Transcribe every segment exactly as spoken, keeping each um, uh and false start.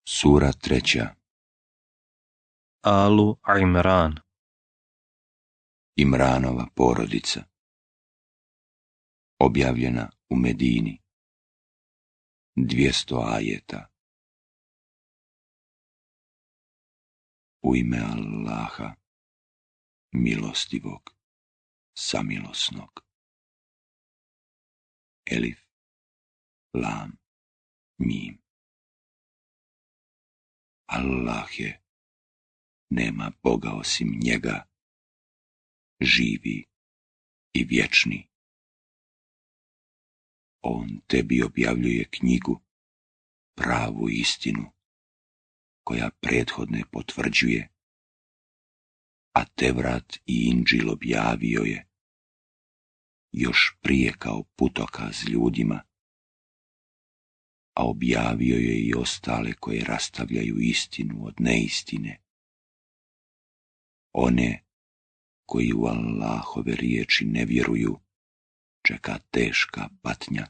Sura treća. Alu Imran. Imranova porodica. Objavljena u Medini. Dvjesto ajeta. U ime Allaha, milostivog, samilosnog. Elif, lam, mim. Allah je, nema Boga osim njega, živi i vječni. On tebi objavljuje knjigu, pravu istinu, koja prethodne potvrđuje, a Tevrat i Inđil objavio je, još prije kao putokaz ljudima, a objavio je i ostale koje rastavljaju istinu od neistine. One koji u Allahove riječi ne vjeruju, čeka teška patnja.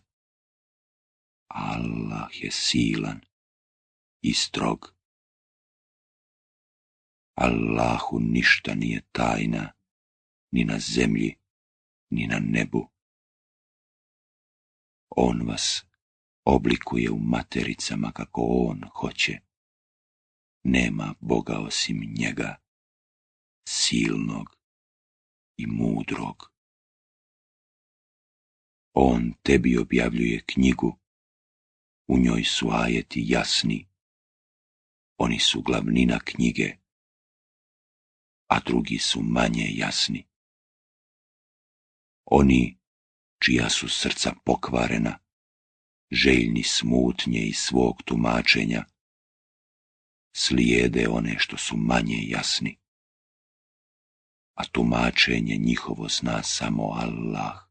Allah je silan i strog. Allahu ništa nije tajna, ni na zemlji, ni na nebu. On vas oblikuje u matericama kako on hoće. Nema Boga osim njega, silnog i mudrog. On tebi objavljuje knjigu, u njoj su ajeti jasni, oni su glavnina knjige, a drugi su manje jasni. Oni čija su srca pokvarena, željni smutnje i svog tumačenja, slijede one što su manje jasni, a tumačenje njihovo zna samo Allah.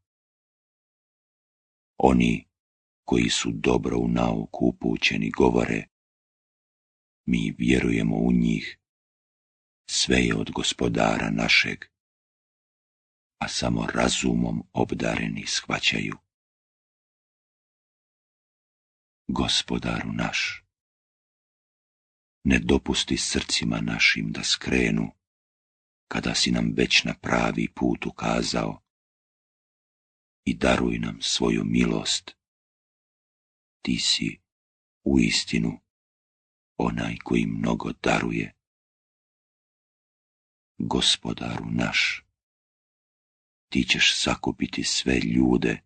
Oni koji su dobro u nauku upućeni govore, mi vjerujemo u njih, sve je od Gospodara našeg, a samo razumom obdareni shvaćaju. Gospodaru naš, ne dopusti srcima našim da skrenu, kada si nam već na pravi put ukazao, i daruj nam svoju milost. Ti si uistinu onaj koji mnogo daruje. Gospodaru naš, ti ćeš sakupiti sve ljude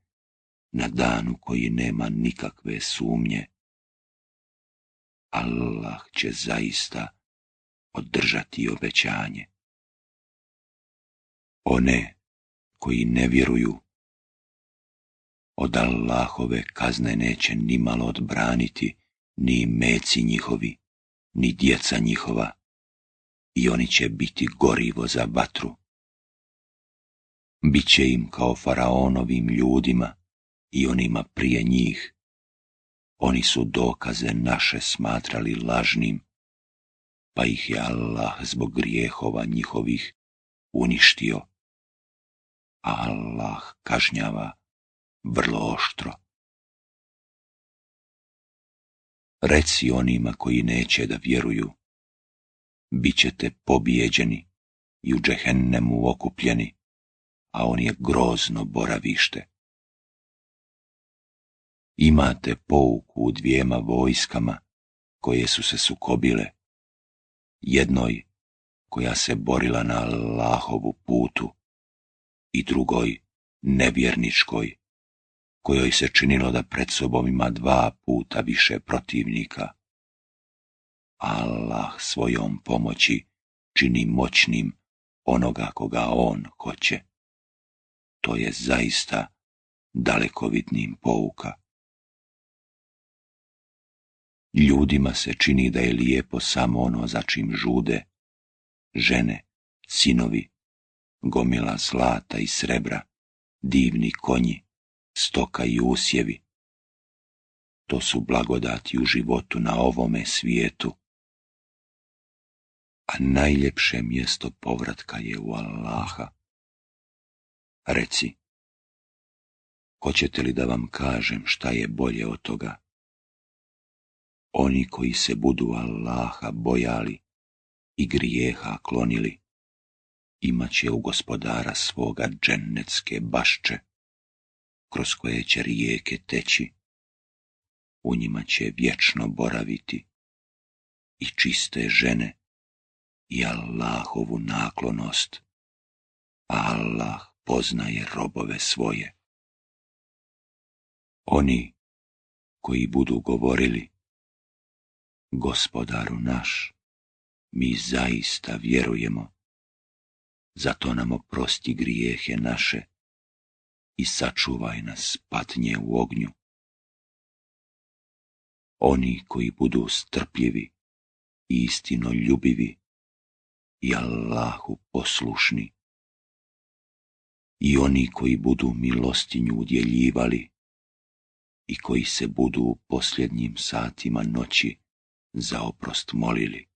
na danu koji nema nikakve sumnje. Allah će zaista održati obećanje. One koji ne vjeruju, od Allahove kazne neće nimalo odbraniti ni meci njihovi, ni djeca njihova, i oni će biti gorivo za vatru. Biće im kao faraonovim ljudima i onima prije njih. Oni su dokaze naše smatrali lažnim, pa ih je Allah zbog grijehova njihovih uništio, a Allah kažnjava vrlo oštro. Reci onima koji neće da vjeruju, bit ćete pobijeđeni i u džehennemu okupljeni, a on je grozno boravište. Imate pouku u dvijema vojskama koje su se sukobile, jednoj koja se borila na Allahovu putu i drugoj nevjerničkoj, kojoj se činilo da pred sobom ima dva puta više protivnika. Allah svojom pomoći čini moćnim onoga koga on hoće. To je zaista dalekovidnim pouka. Ljudima se čini da je lijepo samo ono za čim žude, žene, sinovi, gomila zlata i srebra, divni konji, stoka i usjevi. To su blagodati u životu na ovome svijetu, a najljepše mjesto povratka je u Allaha. Reci, hoćete li da vam kažem šta je bolje od toga? Oni koji se budu Allaha bojali i grijeha klonili, imat će u gospodara svoga džennetske bašče, kroz koje će rijeke teći, u njima će vječno boraviti i čiste žene i Allahovu naklonost, a Allah poznaje robove svoje. Oni koji budu govorili, Gospodaru naš, mi zaista vjerujemo, zato nam oprosti grijehe naše i sačuvaj nas patnje u ognju. Oni koji budu strpljivi i istinoljubivi i Allahu poslušni, i oni koji budu milostinju udjeljivali i koji se budu u posljednjim satima noći za oprost molili.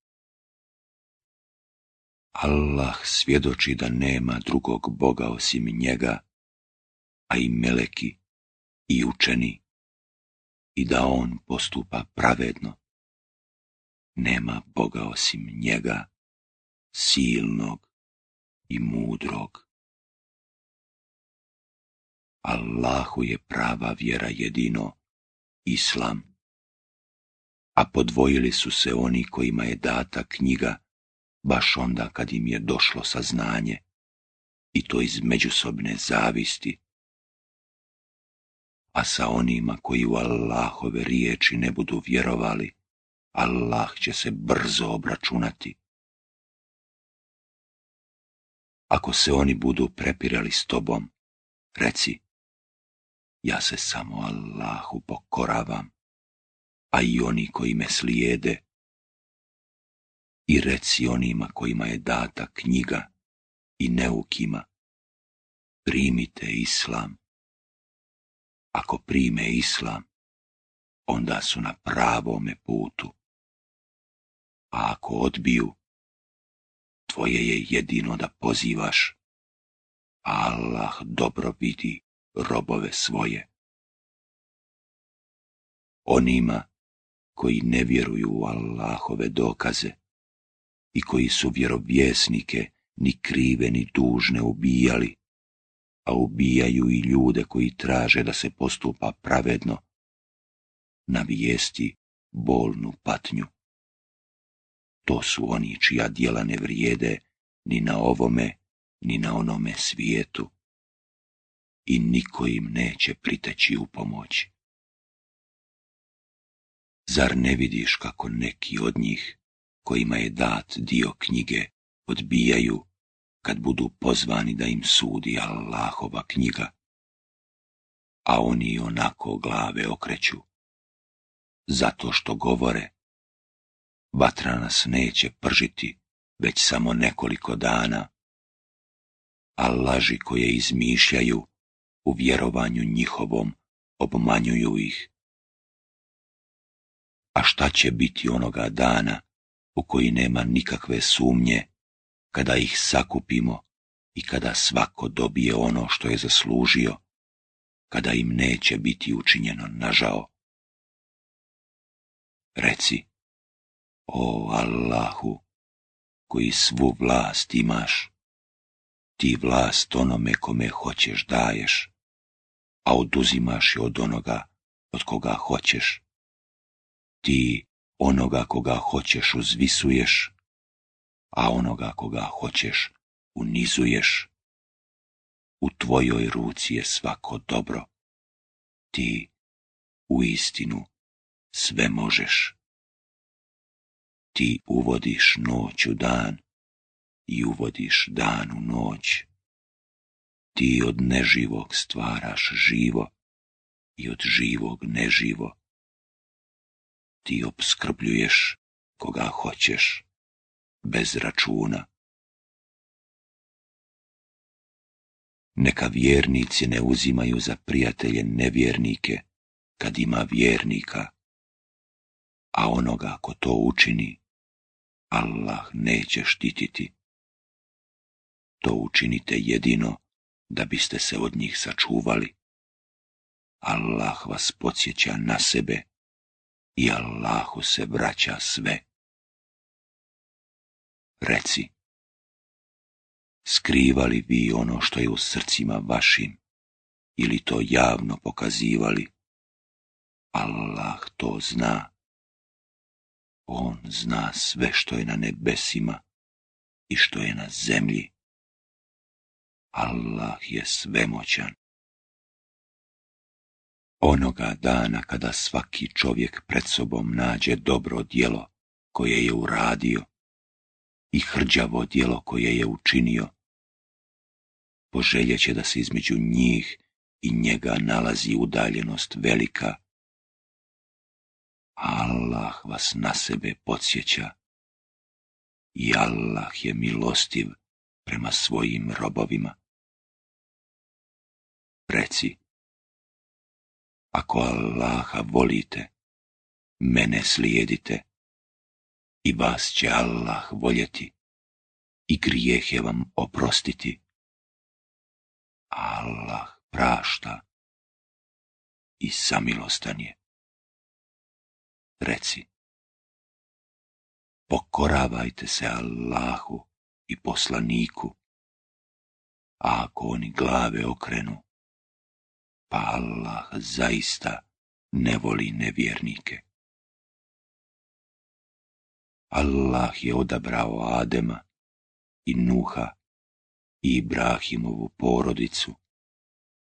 Allah svjedoči da nema drugog Boga osim njega, a i meleki i učeni, i da on postupa pravedno. Nema Boga osim njega, silnog i mudrog. Allahu je prava vjera jedino Islam, a podvojili su se oni kojima je data knjiga baš onda kad im je došlo saznanje, i to iz međusobne zavisti. A sa onima koji u Allahove riječi ne budu vjerovali, Allah će se brzo obračunati. Ako se oni budu prepirali s tobom, reci, ja se samo Allahu pokoravam, a i oni koji me slijede. I reci onima kojima je data knjiga i neukima, primite Islam. Ako prime Islam, onda su na pravome putu. A ako odbiju, tvoje je jedino da pozivaš, a Allah dobro vidi robove svoje. Onima koji ne vjeruju u Allahove dokaze i koji su vjerovjesnike ni krive ni dužne ubijali, a ubijaju i ljude koji traže da se postupa pravedno, navijesti bolnu patnju. To su oni čija djela ne vrijede ni na ovome, ni na onome svijetu, i niko im neće priteći u pomoć. Zar ne vidiš kako neki od njih, kojima je dat dio knjige, odbijaju kad budu pozvani da im sudi Allahova knjiga, a oni onako glave okreću, zato što govore, vatra nas neće pržiti već samo nekoliko dana, a laži koje izmišljaju u vjerovanju njihovom obmanjuju ih. A šta će biti onoga dana u koji nema nikakve sumnje, kada ih sakupimo i kada svako dobije ono što je zaslužio, kada im neće biti učinjeno nažao? Reci, o Allahu, koji svu vlast imaš, ti vlast onome kome hoćeš daješ, a oduzimaš je od onoga od koga hoćeš. Ti onoga koga hoćeš uzvisuješ, a onoga koga hoćeš unizuješ. U tvojoj ruci je svako dobro. Ti uistinu sve možeš. Ti uvodiš noć u dan i uvodiš dan u noć. Ti od neživog stvaraš živo i od živog neživo. Ti opskrbljuješ koga hoćeš, bez računa. Neka vjernici ne uzimaju za prijatelje nevjernike, kad ima vjernika, a onoga ko to učini, Allah neće štititi. To učinite jedino da biste se od njih sačuvali. Allah vas podsjeća na sebe i Allahu se vraća sve. Reci, skrivali vi ono što je u srcima vašim, ili to javno pokazivali? Allah to zna. On zna sve što je na nebesima i što je na zemlji. Allah je svemoćan. Onoga dana kada svaki čovjek pred sobom nađe dobro djelo koje je uradio i hrđavo djelo koje je učinio, poželjeće da se između njih i njega nalazi udaljenost velika. Allah vas na sebe podsjeća i Allah je milostiv prema svojim robovima. Reci, ako Allaha volite, mene slijedite i vas će Allah voljeti i grijehe vam oprostiti. Allah prašta i samilostan je. Reci, pokoravajte se Allahu i poslaniku, a ako oni glave okrenu, pa Allah zaista ne voli nevjernike. Allah je odabrao Adema i Nuha i Ibrahimovu porodicu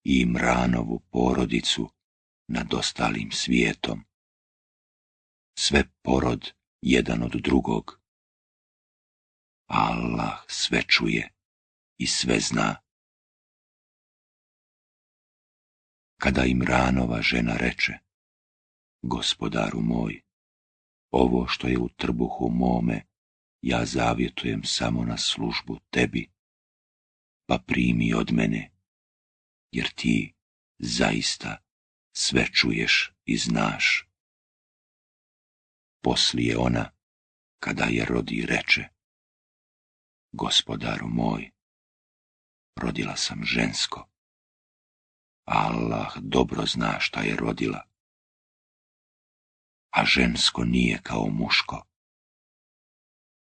i Imranovu porodicu nad ostalim svijetom. Sve porod jedan od drugog. Allah sve čuje i sve zna. Kada Imranova žena reče, Gospodaru moj, ovo što je u trbuhu mome, ja zavjetujem samo na službu tebi, pa primi od mene, jer ti zaista sve čuješ i znaš. Poslije ona, kada je rodi, reče, Gospodaru moj, rodila sam žensko. Allah dobro zna šta je rodila, a žensko nije kao muško.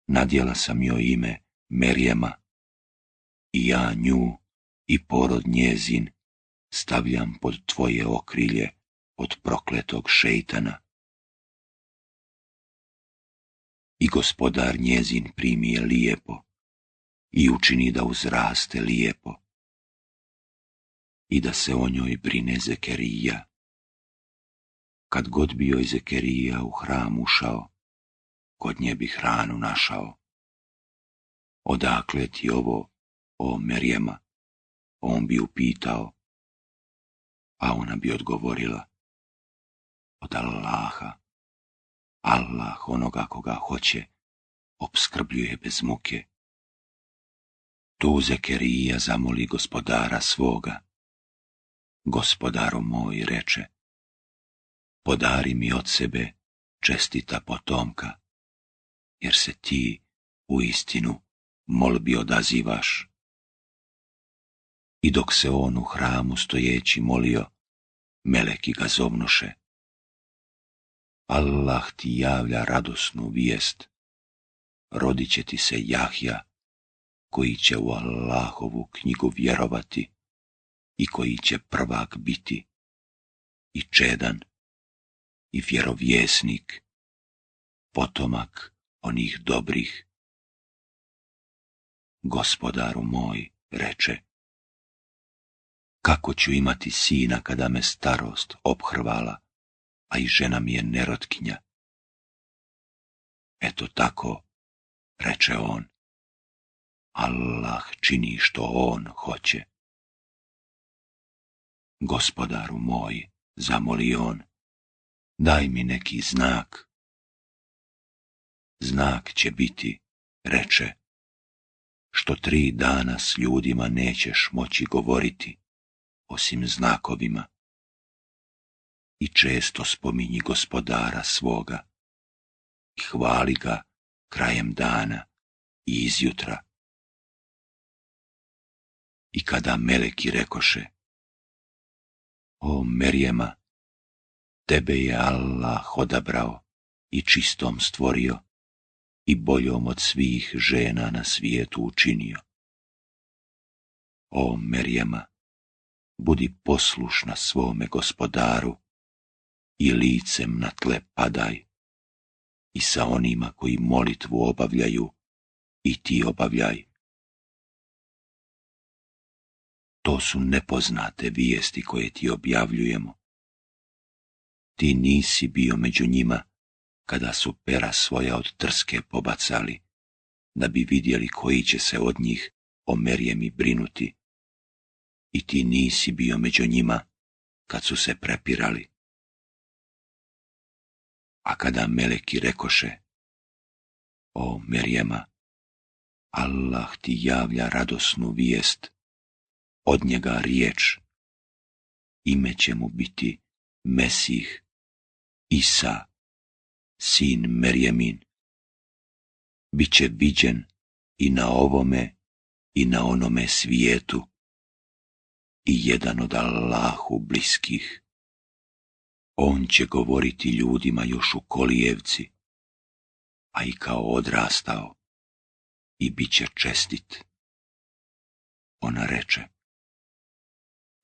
Nadjela sam joj ime Merjema i ja nju i porod njezin stavljam pod tvoje okrilje od prokletog šejtana. I Gospodar njezin primi je lijepo i učini da uzraste lijepo i da se o njoj brine Zekerija. Kad god bi joj Zekerija u hram ušao, kod nje bi hranu našao. Odakle ti ovo, o Merjema? On bi upitao, a ona bi odgovorila, od Allaha. Allah onoga koga hoće opskrbljuje bez muke. Tu Zekerija zamoli Gospodara svoga. Gospodaru moj, reče, podari mi od sebe čestita potomka, jer se ti u istinu molbi odazivaš. I dok se on u hramu stojeći molio, meleki ga zovnuše. Allah ti javlja radosnu vijest, rodit će ti se Jahja, koji će u Allahovu knjigu vjerovati i koji će prvak biti, i čedan, i vjerovjesnik, potomak onih dobrih. Gospodaru moj, reče, kako ću imati sina kada me starost ophrvala, a i žena mi je nerotkinja? Eto tako, reče on, Allah čini što on hoće. Gospodaru moj, zamoli on, daj mi neki znak. Znak će biti, reče, što tri dana s ljudima nećeš moći govoriti, osim znakovima. I često spominji Gospodara svoga i hvali ga krajem dana i izjutra. I kada meleki rekoše, o Merjema, Tebe je Allah odabrao i čistom stvorio i boljom od svih žena na svijetu učinio. O Merjema, budi poslušna svome gospodaru i licem na tle padaj i sa onima koji molitvu obavljaju i ti obavljaj. To su nepoznate vijesti koje ti objavljujemo. Ti nisi bio među njima kada su pera svoja od trske pobacali, da bi vidjeli koji će se od njih o Merjemi brinuti. I ti nisi bio među njima kad su se prepirali. A kada meleki rekoše, o Merjema, Allah ti javlja radosnu vijest, od njega riječ, ime će mu biti Mesih, Isa, sin Merjemin. Biće viđen i na ovome i na onome svijetu i jedan od Allahu bliskih. On će govoriti ljudima još u kolijevci, a i kao odrastao, i bit će čestit. Ona reče,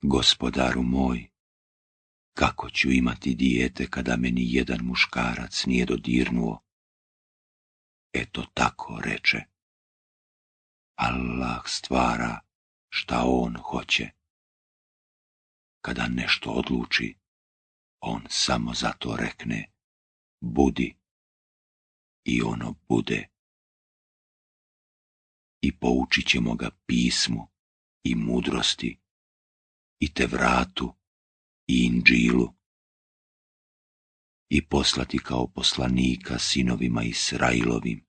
gospodaru moj, kako ću imati dijete kada me ni jedan muškarac nije dodirnuo? Eto tako reče, Allah stvara šta on hoće. Kada nešto odluči, on samo zato rekne, budi, i ono bude. I poučit ćemo ga pismu i mudrosti, i Tevratu, i Indžilu, i poslati kao poslanika sinovima Israilovim.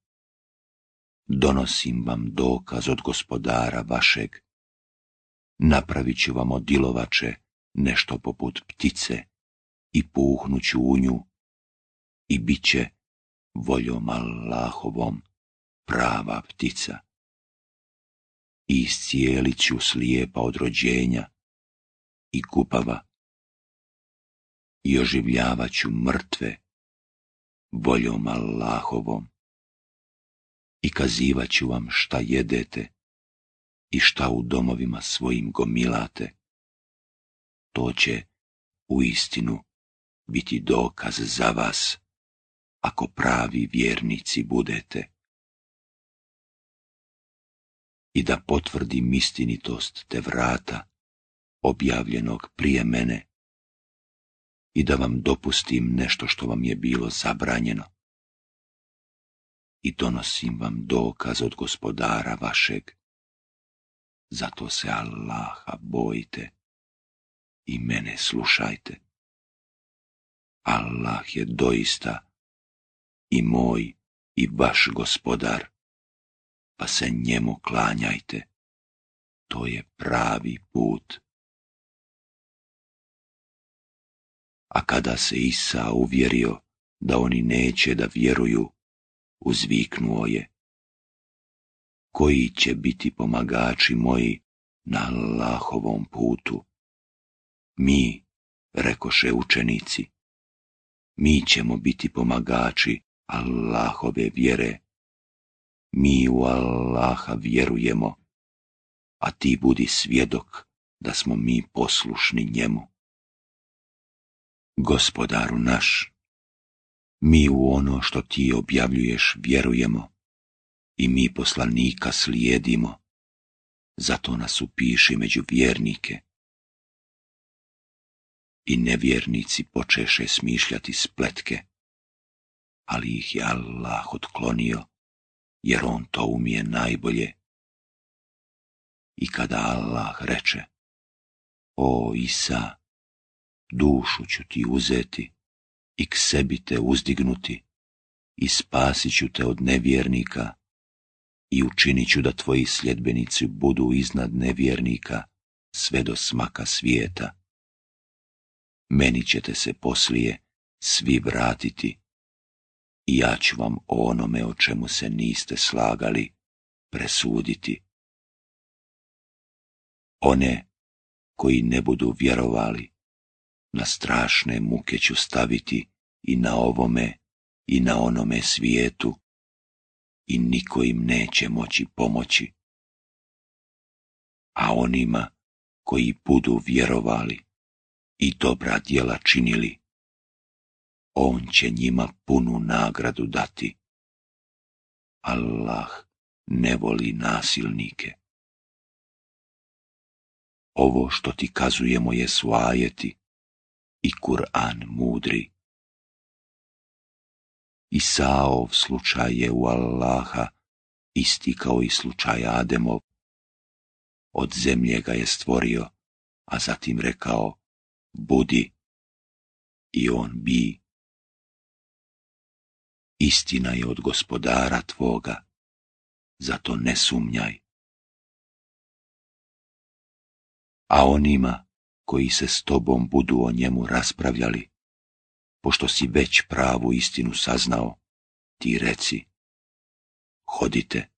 Donosim vam dokaz od gospodara vašeg, napravit ću vam od dilovače nešto poput ptice i puhnuću u nju i bit će voljom Allahovom prava ptica. I iscijelit ću slijepa od rođenja i gubava i oživljavat ću mrtve voljom Allahovom i kazivat ću vam šta jedete i šta u domovima svojim gomilate. To će uistinu biti dokaz za vas, ako pravi vjernici budete. I da potvrdim istinitost Tevrata, objavljenog prije mene, i da vam dopustim nešto što vam je bilo zabranjeno. I donosim vam dokaz od gospodara vašeg. Zato se Allaha bojite i mene slušajte. Allah je doista i moj i vaš gospodar, pa se njemu klanjajte. To je pravi put. A kada se Isa uvjerio da oni neće da vjeruju, uzviknuo je, koji će biti pomagači moji na Allahovom putu? Mi, rekoše učenici, mi ćemo biti pomagači Allahove vjere. Mi u Allaha vjerujemo, a ti budi svjedok da smo mi poslušni njemu. Gospodaru naš, mi u ono što ti objavljuješ vjerujemo i mi poslanika slijedimo, zato nas upiši među vjernike. I nevjernici počeše smišljati spletke, ali ih je Allah otklonio, jer on to umije najbolje. I kada Allah reče, o Isa, dušu ću ti uzeti i k sebi te uzdignuti i spasit ću te od nevjernika i učinit ću da tvoji sljedbenici budu iznad nevjernika sve do smaka svijeta. Meni ćete se poslije svi vratiti i ja ću vam o onome o čemu se niste slagali presuditi. One koji ne budu vjerovali, na strašne muke ću staviti i na ovome i na onome svijetu i niko im neće moći pomoći. A onima koji budu vjerovali i dobra djela činili, on će njima punu nagradu dati. Allah ne voli nasilnike. Ovo što ti kazujemo je su ajeti i Kur'an mudri. Isaov slučaj je u Allaha isti kao i slučaj Ademov. Od zemlje ga je stvorio, a zatim rekao, budi, i on bi. Istina je od Gospodara tvoga, zato ne sumnjaj. A onima koji se s tobom budu o njemu raspravljali, pošto si već pravu istinu saznao, ti reci, hodite,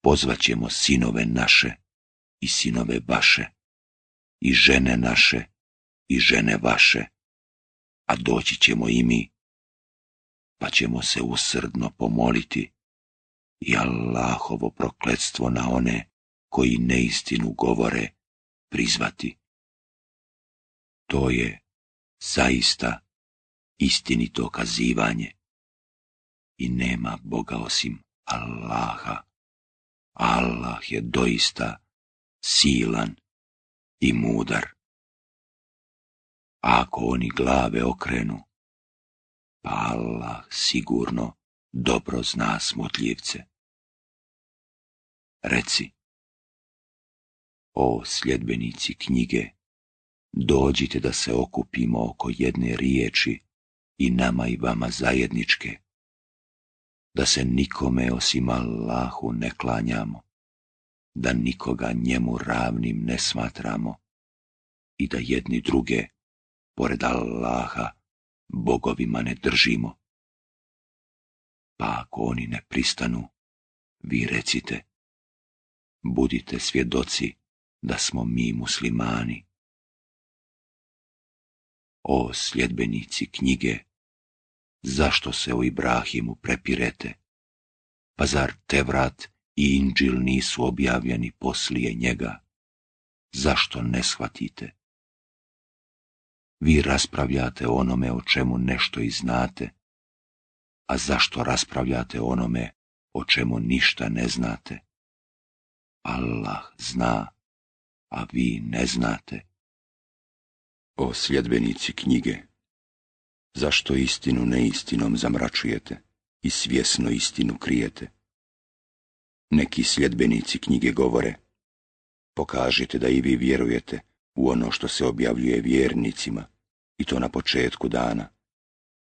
pozvaćemo sinove naše i sinove vaše, i žene naše i žene vaše, a doći ćemo i mi, pa ćemo se usrdno pomoliti i Allahovo prokletstvo na one koji neistinu govore prizvati. To je zaista istinito kazivanje i nema Boga osim Allaha. Allah je doista silan i mudar. A ako oni glave okrenu, pa Allah sigurno dobro zna smutljivce. Reci, o sljedbenici knjige, dođite da se okupimo oko jedne riječi i nama i vama zajedničke, da se nikome osim Allahu ne klanjamo, da nikoga njemu ravnim ne smatramo i da jedni druge, pored Allaha, bogovima ne držimo. Pa ako oni ne pristanu, vi recite, budite svjedoci da smo mi muslimani. O sljedbenici knjige, zašto se o Ibrahimu prepirete? Pa zar Tevrat i Inđil nisu objavljeni poslije njega? Zašto ne shvatite? Vi raspravljate o onome o čemu nešto i znate, a zašto raspravljate o onome o čemu ništa ne znate? Allah zna, a vi ne znate. O sljedbenici knjige, zašto istinu neistinom zamračujete i svjesno istinu krijete? Neki sljedbenici knjige govore, pokažite da i vi vjerujete u ono što se objavljuje vjernicima, i to na početku dana,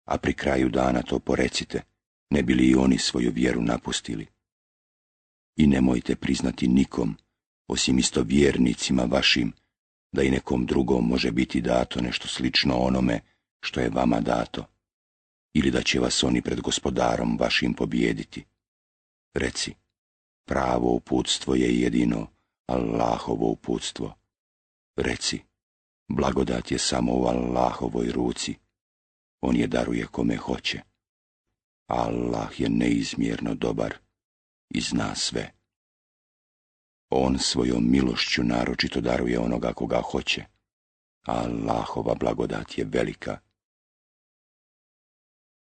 a pri kraju dana to porecite, ne bi li i oni svoju vjeru napustili. I nemojte priznati nikom, osim isto vjernicima vašim, da i nekom drugom može biti dato nešto slično onome što je vama dato, ili da će vas oni pred Gospodarom vašim pobijediti. Reci, pravo uputstvo je jedino Allahovo uputstvo. Reci, blagodat je samo u Allahovoj ruci, on je daruje kome hoće. Allah je neizmjerno dobar i zna sve. On svojom milošću naročito daruje onoga koga hoće, a Allahova blagodat je velika.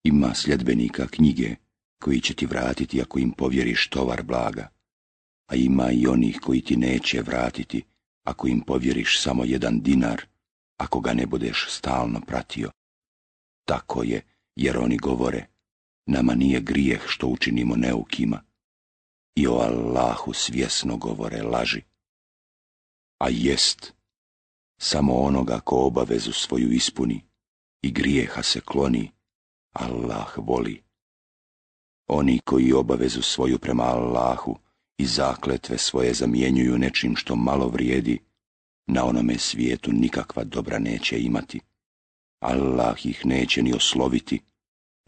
Ima sljedbenika knjige koji će ti vratiti ako im povjeriš tovar blaga, a ima i onih koji ti neće vratiti ako im povjeriš samo jedan dinar, ako ga ne budeš stalno pratio. Tako je, jer oni govore, nama nije grijeh što učinimo neukima, i o Allahu svjesno govore laži. A jest, samo onoga ko obavezu svoju ispuni i grijeha se kloni, Allah voli. Oni koji obavezu svoju prema Allahu i zakletve svoje zamjenjuju nečim što malo vrijedi, na onome svijetu nikakva dobra neće imati. Allah ih neće ni osloviti,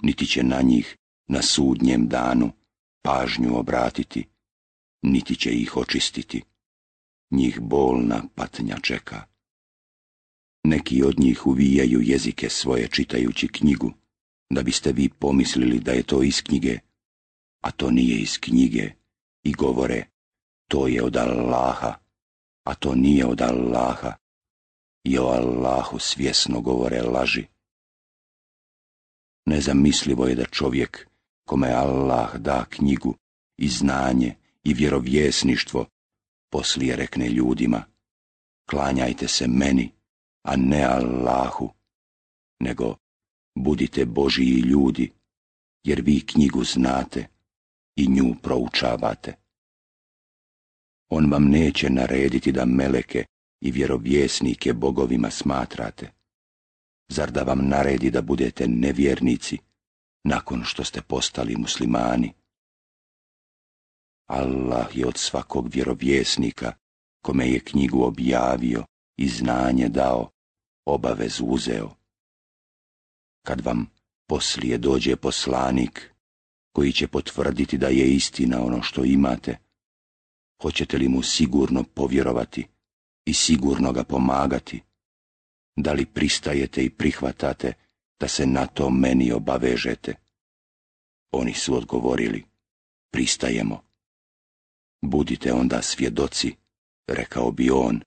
niti će na njih na sudnjem danu pažnju obratiti, niti će ih očistiti. Njih bolna patnja čeka. Neki od njih uvijaju jezike svoje čitajući knjigu, da biste vi pomislili da je to iz knjige, a to nije iz knjige, i govore, to je od Allaha, a to nije od Allaha, i o Allahu svjesno govore laži. Nezamislivo je da čovjek, kome Allah da knjigu i znanje i vjerovjesništvo, poslije rekne ljudima, klanjajte se meni, a ne Allahu, nego budite Božiji ljudi, jer vi knjigu znate i nju proučavate. On vam neće narediti da meleke i vjerovjesnike bogovima smatrate. Zar da vam naredi da budete nevjernici nakon što ste postali muslimani? Allah je od svakog vjerovjesnika, kome je knjigu objavio i znanje dao, obavezu uzeo. Kad vam poslije dođe poslanik, koji će potvrditi da je istina ono što imate, hoćete li mu sigurno povjerovati i sigurno ga pomagati? Da li pristajete i prihvatate da se na to meni obavežete? Oni su odgovorili, pristajemo. Budite onda svjedoci, rekao bi on,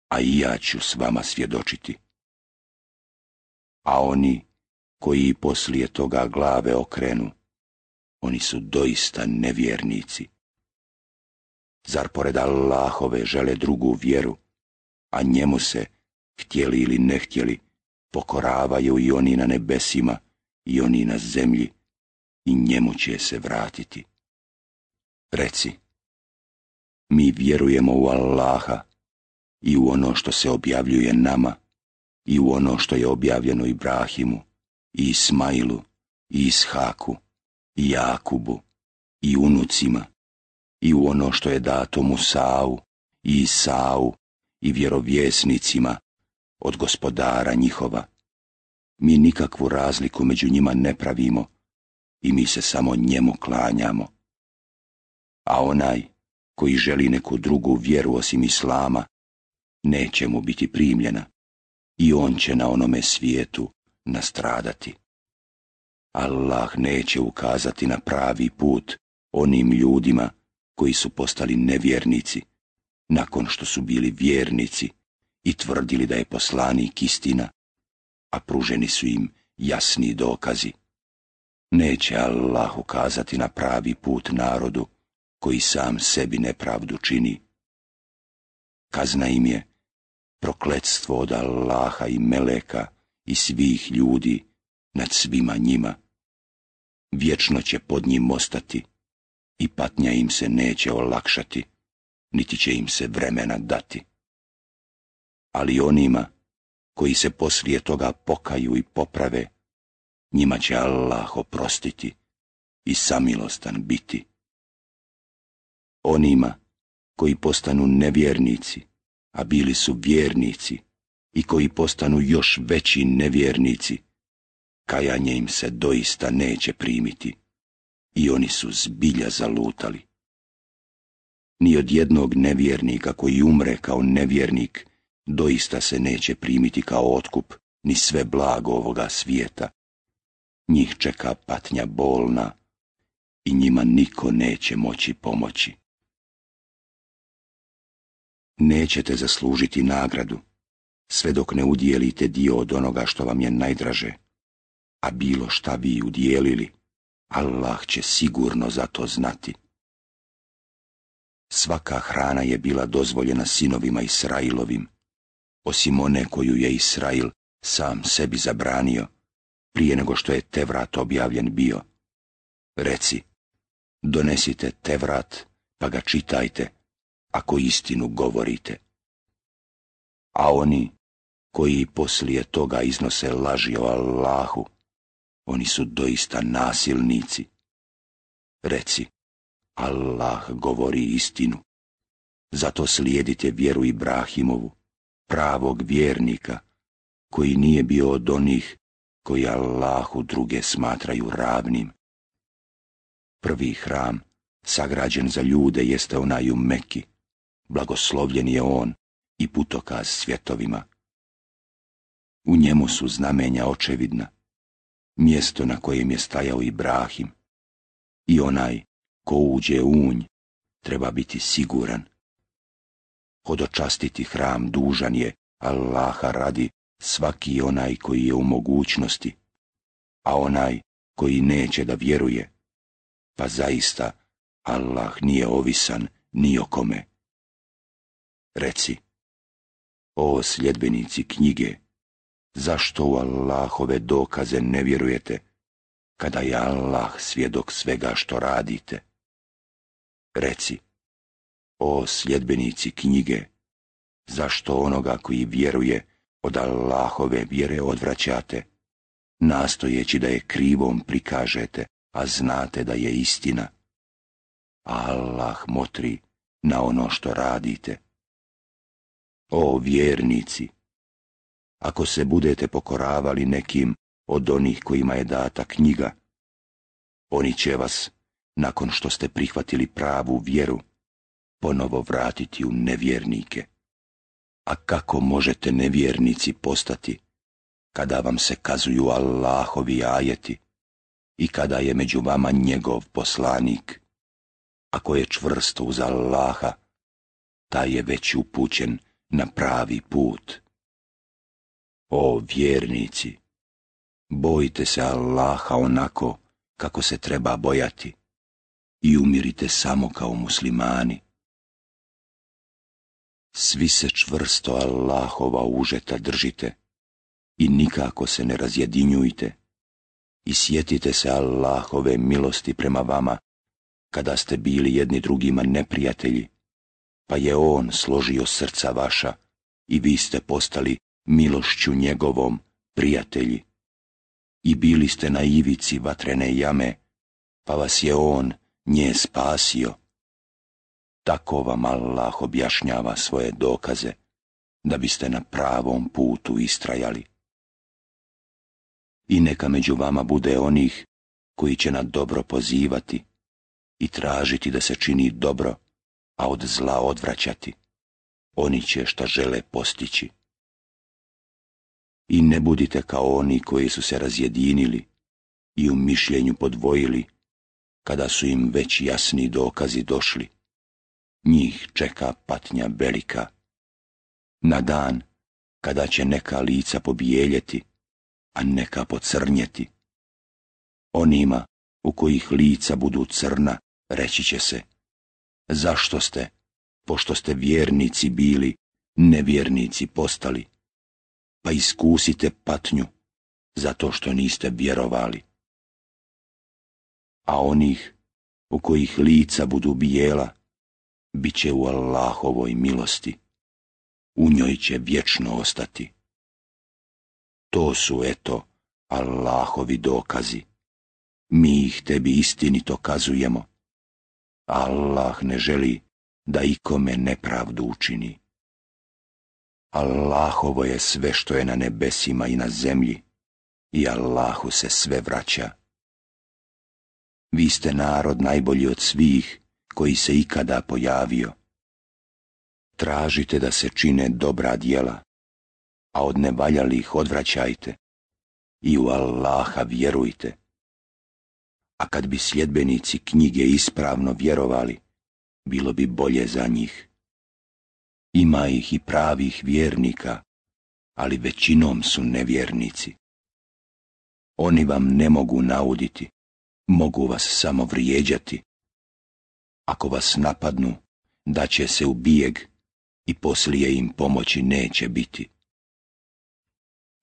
a i ja ću s vama svjedočiti. A oni koji poslije toga glave okrenu, oni su doista nevjernici. Zar pored Allahove žele drugu vjeru, a njemu se, htjeli ili ne htjeli, pokoravaju i oni na nebesima i oni na zemlji, i njemu će se vratiti. Reci, mi vjerujemo u Allaha i u ono što se objavljuje nama i u ono što je objavljeno Ibrahimu i Ismailu i Ishaku i Jakubu i unucima i u ono što je dato Musau i Isau i vjerovjesnicima od Gospodara njihova. Mi nikakvu razliku među njima ne pravimo i mi se samo njemu klanjamo. A onaj koji želi neku drugu vjeru osim Islama, neće mu biti primljena i on će na onome svijetu nastradati. Allah neće ukazati na pravi put onim ljudima koji su postali nevjernici, nakon što su bili vjernici i tvrdili da je poslanik istina, a pruženi su im jasni dokazi. Neće Allah ukazati na pravi put narodu koji sam sebi nepravdu čini. Kazna im je prokletstvo od Allaha i meleka i svih ljudi nad svima njima. Vječno će pod njim ostati i patnja im se neće olakšati, niti će im se vremena dati. Ali onima koji se poslije toga pokaju i poprave, njima će Allah oprostiti i samilostan biti. Onima koji postanu nevjernici, a bili su vjernici, i koji postanu još veći nevjernici, kajanje im se doista neće primiti i oni su zbilja zalutali. Ni od jednog nevjernika koji umre kao nevjernik doista se neće primiti kao otkup ni sve blago ovoga svijeta. Njih čeka patnja bolna i njima niko neće moći pomoći. Nećete zaslužiti nagradu sve dok ne udijelite dio od onoga što vam je najdraže, a bilo šta vi udijelili, Allah će sigurno za to znati. Svaka hrana je bila dozvoljena sinovima Israilovim, osim one koju je Israil sam sebi zabranio, prije nego što je Tevrat objavljen bio. Reci, donesite Tevrat, pa ga čitajte, ako istinu govorite. A oni koji poslije toga iznose laži o Allahu, oni su doista nasilnici. Reci, Allah govori istinu. Zato slijedite vjeru Ibrahimovu, pravog vjernika, koji nije bio od onih koji Allahu druge smatraju ravnim. Prvi hram, sagrađen za ljude, jeste onaj u Meki. Blagoslovljen je on i putokaz svjetovima. U njemu su znamenja očevidna, mjesto na kojem je stajao Ibrahim. I onaj ko uđe u unj treba biti siguran. Hodočastiti hram dužan je Allaha radi svaki onaj koji je u mogućnosti, a onaj koji neće da vjeruje, pa zaista Allah nije ovisan ni o kome. Reci, o sljedbenici knjige, zašto u Allahove dokaze ne vjerujete, kada je Allah svjedok svega što radite? Reci, o sljedbenici knjige, zašto onoga koji vjeruje od Allahove vjere odvraćate, nastojeći da je krivom prikažete, a znate da je istina, a Allah motri na ono što radite. O vjernici, ako se budete pokoravali nekim od onih kojima je data knjiga, oni će vas, nakon što ste prihvatili pravu vjeru, ponovo vratiti u nevjernike. A kako možete nevjernici postati, kada vam se kazuju Allahovi ajeti i kada je među vama njegov poslanik? Ako je čvrsto uz Allaha, taj je već upućen na pravi put. O vjernici, bojite se Allaha onako kako se treba bojati i umirite samo kao muslimani. Svi se čvrsto Allahova užeta držite i nikako se ne razjedinjujte i sjetite se Allahove milosti prema vama kada ste bili jedni drugima neprijatelji, pa je On složio srca vaša i vi ste postali milošću njegovom prijatelji. I bili ste na ivici vatrene jame, pa vas je On nje spasio. Tako vam Allah objašnjava svoje dokaze, da biste na pravom putu istrajali. I neka među vama bude onih koji će na dobro pozivati i tražiti da se čini dobro, a od zla odvraćati. Oni će šta žele postići. I ne budite kao oni koji su se razjedinili i u mišljenju podvojili, kada su im već jasni dokazi došli. Njih čeka patnja velika. Na dan kada će neka lica pobijeljeti, a neka pocrnjeti. Onima u kojih lica budu crna, reći će se, zašto ste, pošto ste vjernici bili, nevjernici postali, pa iskusite patnju, zato što niste vjerovali. A onih u kojih lica budu bijela, bit će u Allahovoj milosti, u njoj će vječno ostati. To su, eto, Allahovi dokazi. Mi ih tebi istinito kazujemo. Allah ne želi da ikome nepravdu učini. Allahovo je sve što je na nebesima i na zemlji, i Allahu se sve vraća. Vi ste narod najbolji od svih koji se ikada pojavio. Tražite da se čine dobra djela, a od nevaljalih odvraćajte i u Allaha vjerujte. A kad bi sljedbenici knjige ispravno vjerovali, bilo bi bolje za njih. Ima ih i pravih vjernika, ali većinom su nevjernici. Oni vam ne mogu nauditi, mogu vas samo vrijeđati. Ako vas napadnu, daće se u bijeg i poslije im pomoći neće biti.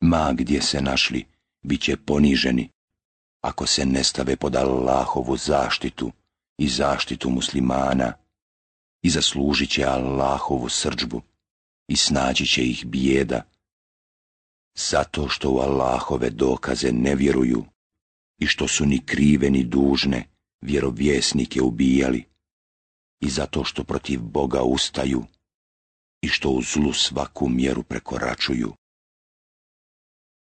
Ma gdje se našli, bit će poniženi, ako se ne stave pod Allahovu zaštitu i zaštitu muslimana, i zaslužit će Allahovu srdžbu i snaći će ih bijeda, zato što u Allahove dokaze ne vjeruju i što su ni krive ni dužne vjerovjesnike ubijali, i zato što protiv Boga ustaju i što u zlu svaku mjeru prekoračuju.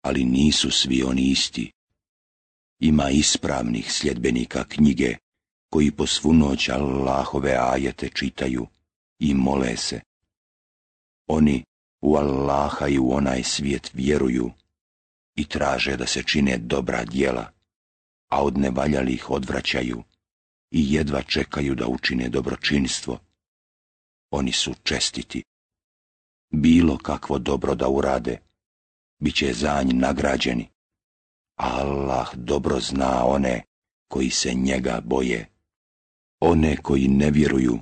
Ali nisu svi oni isti. Ima ispravnih sljedbenika knjige koji po svu noć Allahove ajete čitaju i mole se. Oni u Allaha i u onaj svijet vjeruju i traže da se čine dobra djela, a od nevaljalih odvraćaju i jedva čekaju da učine dobročinstvo. Oni su čestiti. Bilo kakvo dobro da urade, bit će za nj nagrađeni. Allah dobro zna one koji se njega boje. One koji ne vjeruju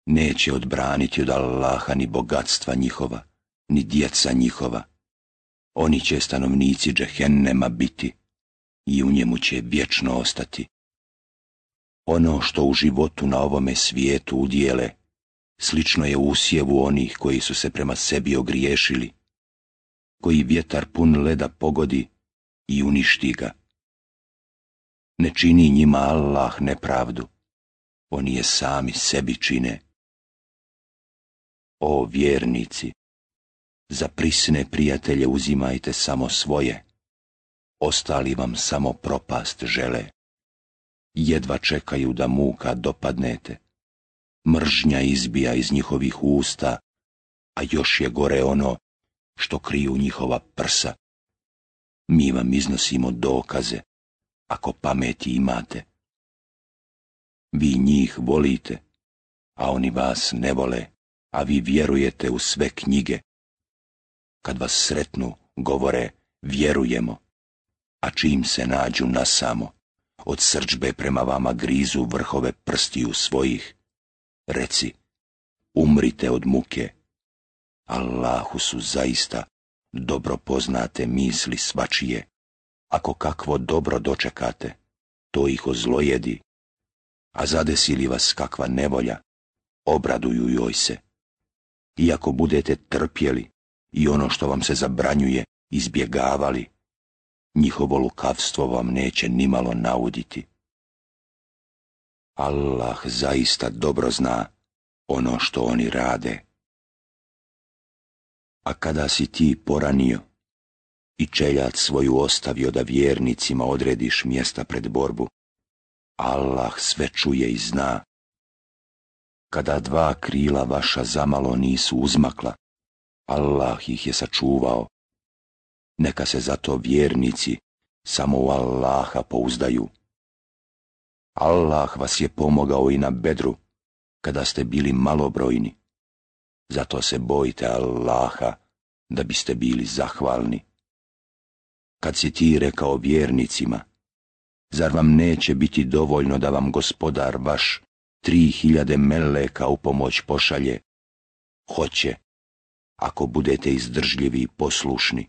neće odbraniti od Allaha ni bogatstva njihova, ni djeca njihova. Oni će stanovnici džehennema biti i u njemu će vječno ostati. Ono što u životu na ovome svijetu udjele, slično je usjevu onih koji su se prema sebi ogriješili, koji vjetar pun leda pogodi i uništi ga. Ne čini njima Allah nepravdu, oni je sami sebi čine. O vjernici, za prisne prijatelje uzimajte samo svoje, ostali vam samo propast žele. Jedva čekaju da muka dopadnete, mržnja izbija iz njihovih usta, a još je gore ono što kriju njihova prsa. Mi vam iznosimo dokaze, ako pameti imate. Vi njih volite, a oni vas ne vole, a vi vjerujete u sve knjige. Kad vas sretnu, govore, vjerujemo, a čim se nađu nasamo, od srdžbe prema vama grizu vrhove prstiju svojih. Reci, umrite od muke. Allahu su zaista dobro poznate misli svačije. Ako kakvo dobro dočekate, to ih ozlojedi, a zadesi li vas kakva nevolja, obraduju joj se. I ako budete trpjeli i ono što vam se zabranjuje izbjegavali, njihovo lukavstvo vam neće nimalo nauditi. Allah zaista dobro zna ono što oni rade. A kada si ti poranio i čeljat svoju ostavio da vjernicima odrediš mjesta pred borbu, Allah sve čuje i zna. Kada dva krila vaša zamalo nisu uzmakla, Allah ih je sačuvao. Neka se zato vjernici samo u Allaha pouzdaju. Allah vas je pomogao i na Bedru, kada ste bili malobrojni. Zato se bojite Allaha, da biste bili zahvalni. Kad si ti rekao vjernicima, zar vam neće biti dovoljno da vam gospodar vaš tri hiljade meleka u pomoć pošalje? Hoće, ako budete izdržljivi i poslušni,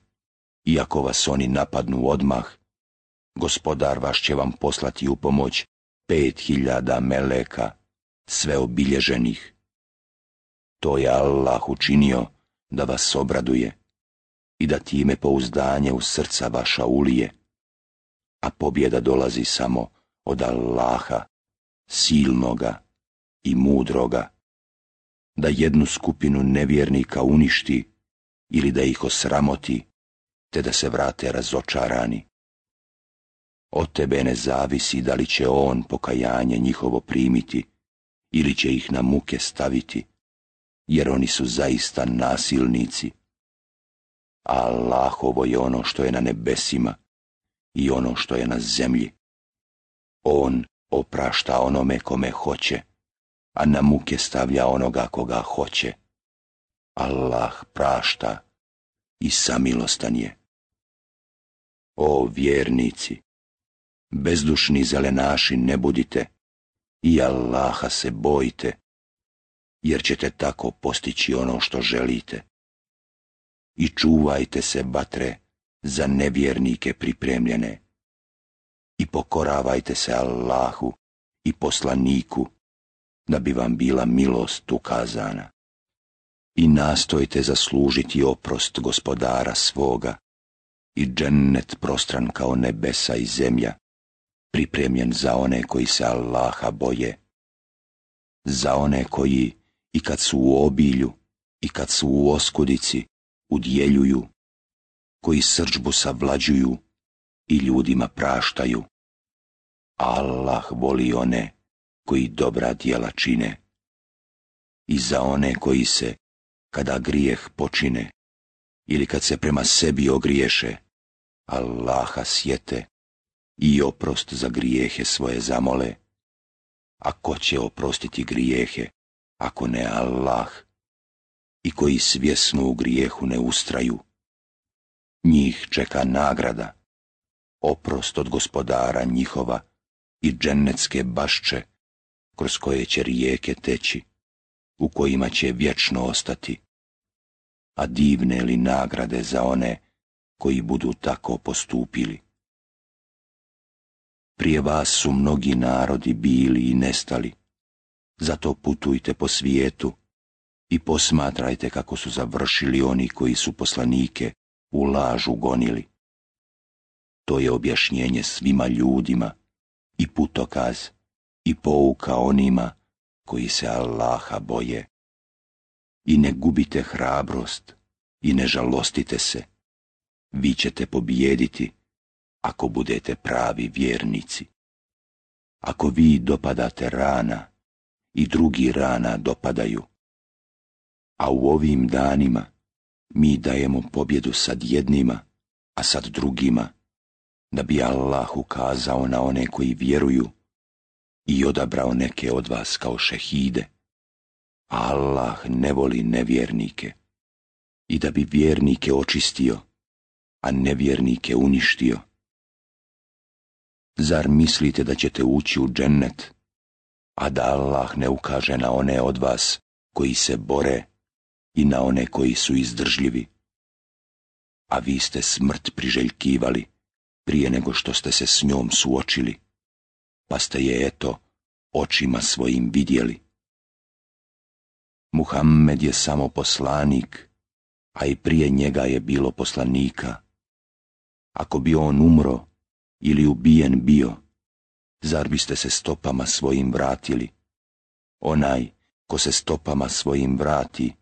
i ako vas oni napadnu odmah, gospodar vaš će vam poslati u pomoć pet hiljada meleka, sve obilježenih. To je Allah učinio da vas obraduje i da time pouzdanje u srca vaša ulije, a pobjeda dolazi samo od Allaha, silnoga i mudroga, da jednu skupinu nevjernika uništi ili da ih osramoti, te da se vrate razočarani. Od tebe ne zavisi da li će on pokajanje njihovo primiti ili će ih na muke staviti, jer oni su zaista nasilnici. Allahovo je ono što je na nebesima i ono što je na zemlji. On oprašta onome kome hoće, a na muke stavlja onoga koga hoće. Allah prašta i samilostan je. O vjernici, bezdušni zelenaši ne budite i Allaha se bojte, jer ćete tako postići ono što želite. I čuvajte se vatre za nevjernike pripremljene. I pokoravajte se Allahu i poslaniku, da bi vam bila milost ukazana. I nastojte zaslužiti oprost gospodara svoga i džennet prostran kao nebesa i zemlja, pripremljen za one koji se Allaha boje. Za one koji, i kad su u obilju, i kad su u oskudici, udjeljuju, koji srdžbu savlađuju i ljudima praštaju. Allah voli one koji dobra djela čine. I za one koji se, kada grijeh počine, ili kad se prema sebi ogriješe, Allaha sjete i oprost za grijehe svoje zamole. A ko će oprostiti grijehe, ako ne Allah, i koji svjesno u grijehu ne ustraju? Njih čeka nagrada, oprost od gospodara njihova i džennetske bašče, kroz koje će rijeke teći, u kojima će vječno ostati. A divne li nagrade za one koji budu tako postupili? Prije vas su mnogi narodi bili i nestali, zato putujte po svijetu i posmatrajte kako su završili oni koji su poslanike u lažu gonili. To je objašnjenje svima ljudima i putokaz i pouka onima koji se Allaha boje. I ne gubite hrabrost i ne žalostite se, vi ćete pobijediti ako budete pravi vjernici. Ako vi dopadate rana i drugi rana dopadaju, a u ovim danima mi dajemo pobjedu sad jednima, a sad drugima, da bi Allah ukazao na one koji vjeruju i odabrao neke od vas kao šehide. Allah ne voli nevjernike, i da bi vjernike očistio, a nevjernike uništio. Zar mislite da ćete ući u džennet, a da Allah ne ukaže na one od vas koji se bore i na one koji su izdržljivi? A vi ste smrt priželjkivali prije nego što ste se s njom suočili, pa ste je eto očima svojim vidjeli. Muhammed je samo poslanik, a i prije njega je bilo poslanika. Ako bi on umro ili ubijen bio, zar biste se stopama svojim vratili? Onaj ko se stopama svojim vrati,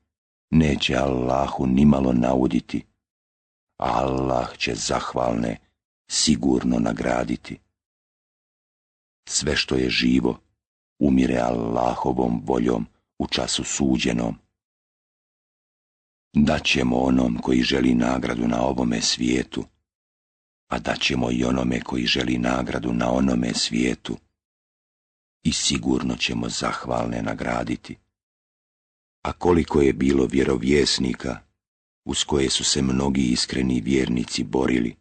neće Allahu nimalo nauditi, a Allah će zahvalne sigurno nagraditi. Sve što je živo, umire Allahovom voljom u času suđenom. Daćemo onom koji želi nagradu na ovome svijetu, a daćemo i onome koji želi nagradu na onome svijetu, i sigurno ćemo zahvalne nagraditi. A koliko je bilo vjerovjesnika, uz koje su se mnogi iskreni vjernici borili,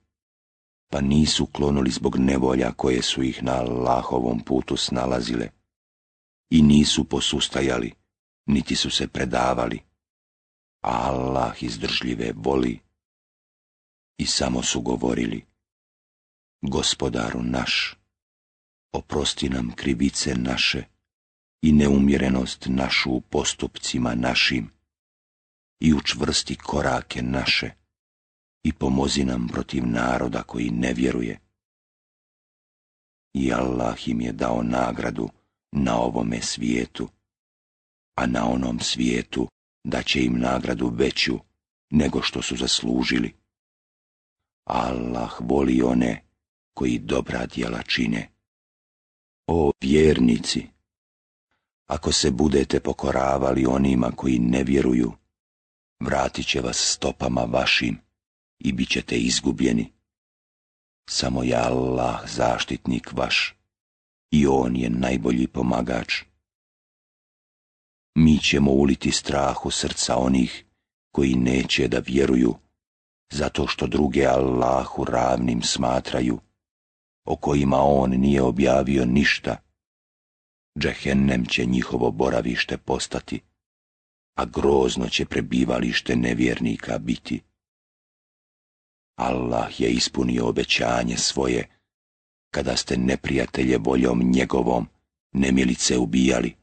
pa nisu klonuli zbog nevolja koje su ih na Allahovom putu snalazile, i nisu posustajali, niti su se predavali, a Allah izdržljive voli. I samo su govorili: Gospodaru naš, oprosti nam krivice naše i neumjerenost našu u postupcima našim, i učvrsti korake naše i pomozi nam protiv naroda koji ne vjeruje. I Allah im je dao nagradu na ovome svijetu, a na onom svijetu daće im nagradu veću nego što su zaslužili. Allah voli one koji dobra djela čine. O vjernici, ako se budete pokoravali onima koji ne vjeruju, vratit će vas stopama vašim i bit ćete izgubljeni. Samo je Allah zaštitnik vaš i on je najbolji pomagač. Mi ćemo uliti strah u srca onih koji neće da vjeruju, zato što druge Allahu ravnim smatraju, o kojima on nije objavio ništa. Džehennem će njihovo boravište postati, a grozno će prebivalište nevjernika biti. Allah je ispunio obećanje svoje, kada ste neprijatelje voljom njegovom nemilice ubijali,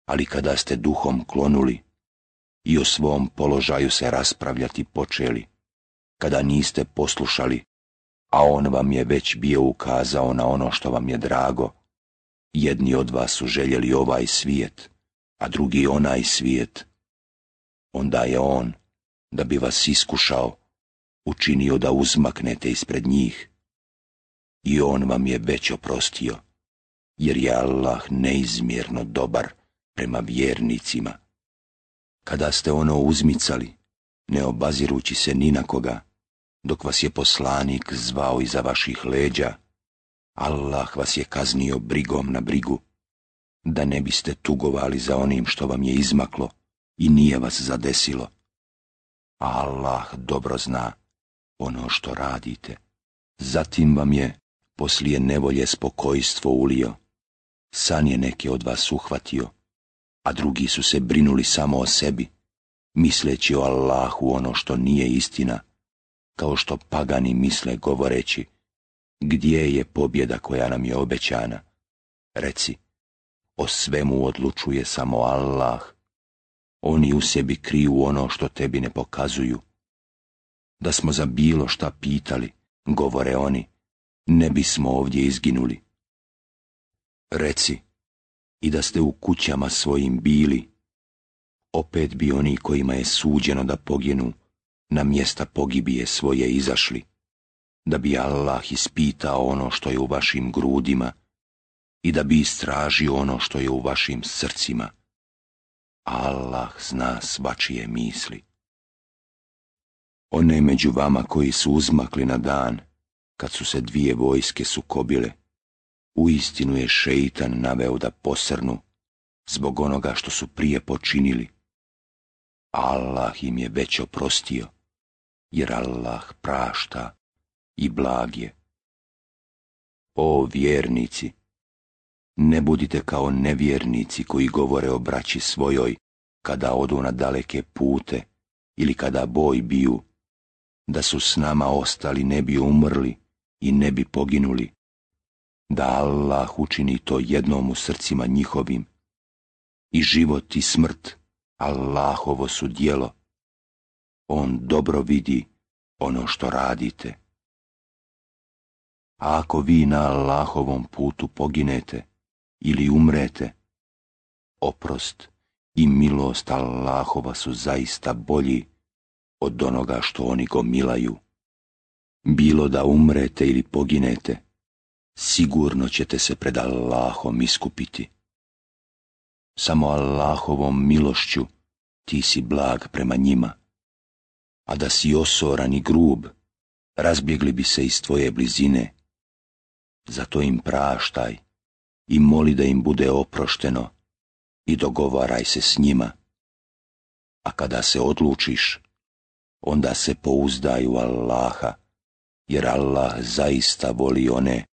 ali kada ste duhom klonuli i o svom položaju se raspravljati počeli, kada niste poslušali, a on vam je već bio ukazao na ono što vam je drago, jedni od vas su željeli ovaj svijet, a drugi onaj svijet, onda je on, da bi vas iskušao, učinio da uzmaknete ispred njih, i on vam je već oprostio, jer je Allah neizmjerno dobar prema vjernicima. Kada ste ono uzmicali, ne obazirući se ni na koga, dok vas je poslanik zvao iza vaših leđa, Allah vas je kaznio brigom na brigu, da ne biste tugovali za onim što vam je izmaklo i nije vas zadesilo. A Allah dobro zna ono što radite. Zatim vam je poslije nevolje spokojstvo ulio. San je neke od vas uhvatio, a drugi su se brinuli samo o sebi, misleći o Allahu ono što nije istina, kao što pagani misle govoreći, gdje je pobjeda koja nam je obećana? Reci, o svemu odlučuje samo Allah. Oni u sebi kriju ono što tebi ne pokazuju. Da smo za bilo šta pitali, govore oni, ne bismo ovdje izginuli. Reci, i da ste u kućama svojim bili, opet bi oni kojima je suđeno da poginu, na mjesta pogibije svoje izašli, da bi Allah ispitao ono što je u vašim grudima i da bi istražio ono što je u vašim srcima. Allah zna svačije misli. One među vama koji su uzmakli na dan, kad su se dvije vojske sukobile, uistinu je šeitan naveo da posrnu zbog onoga što su prije počinili. Allah im je već oprostio, jer Allah prašta i blag je. O vjernici, ne budite kao nevjernici koji govore o braći svojoj kada odu na daleke pute ili kada boj biju, da su s nama ostali ne bi umrli i ne bi poginuli, da Allah učini to jednom u srcima njihovim. I život i smrt Allahovo su djelo. On dobro vidi ono što radite. A ako vi na Allahovom putu poginete ili umrete, oprost i milost Allahova su zaista bolji od onoga što oni gomilaju. Bilo da umrete ili poginete, sigurno ćete se pred Allahom iskupiti. Samo Allahovom milošću ti si blag prema njima, a da si osoran i grub, razbjegli bi se iz tvoje blizine. Zato im praštaj i moli da im bude oprošteno i dogovaraj se s njima. A kada se odlučiš, onda se pouzdaj u Allaha, jer Allah zaista voli one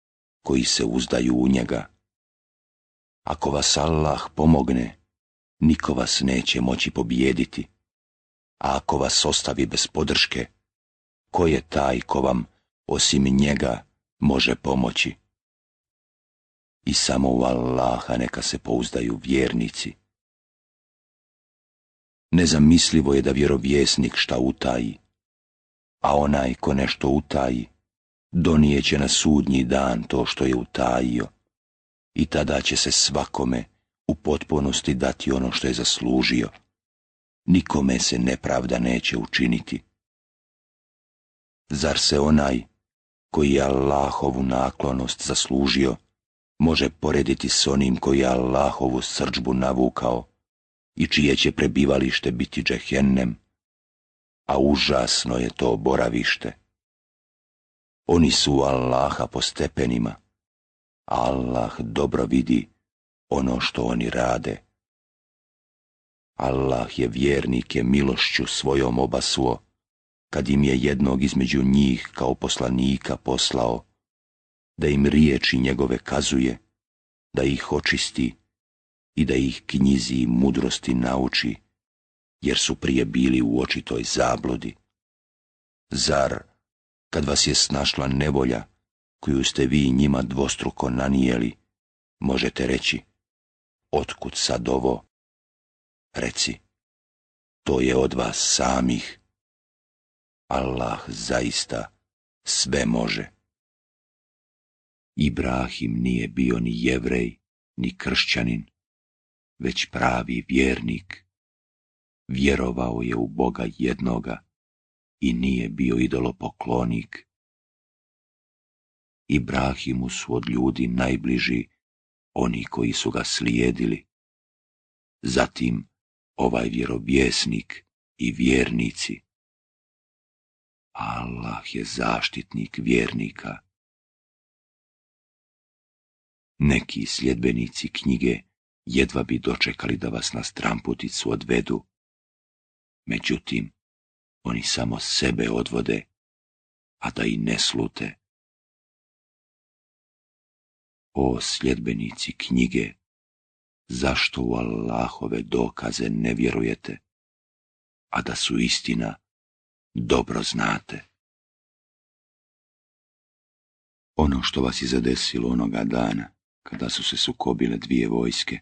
koji se uzdaju u njega. Ako vas Allah pomogne, niko vas neće moći pobijediti, a ako vas ostavi bez podrške, ko je taj ko vam, osim njega, može pomoći? I samo u Allaha neka se pouzdaju vjernici. Nezamislivo je da vjerovjesnik šta utaji, a onaj ko nešto utaji, donijeće na sudnji dan to što je utajio, i tada će se svakome u potpunosti dati ono što je zaslužio. Nikome se nepravda neće učiniti. Zar se onaj koji je Allahovu naklonost zaslužio može porediti s onim koji je Allahovu srdžbu navukao i čije će prebivalište biti džehennem, a užasno je to boravište. Oni su Allaha po stepenima, a Allah dobro vidi ono što oni rade. Allah je vjernike milošću svojom obasuo, kad im je jednog između njih kao poslanika poslao, da im riječi njegove kazuje, da ih očisti i da ih knjizi i mudrosti nauči, jer su prije bili u očitoj zabludi. Zar, kad vas je snašla nevolja, koju ste vi njima dvostruko nanijeli, možete reći, otkud sad ovo? Reci, to je od vas samih. Allah zaista sve može. Ibrahim nije bio ni Jevrej, ni kršćanin, već pravi vjernik. Vjerovao je u Boga jednoga i nije bio idolopoklonik. Ibrahimu su od ljudi najbliži oni koji su ga slijedili. Zatim ovaj vjerovjesnik i vjernici. Allah je zaštitnik vjernika. Neki sljedbenici knjige jedva bi dočekali da vas na stramputicu odvedu. Međutim, oni samo sebe odvode, a da i ne slute. O sljedbenici knjige, zašto u Allahove dokaze ne vjerujete, a da su istina dobro znate? Ono što vas je zadesilo onoga dana, kada su se sukobile dvije vojske,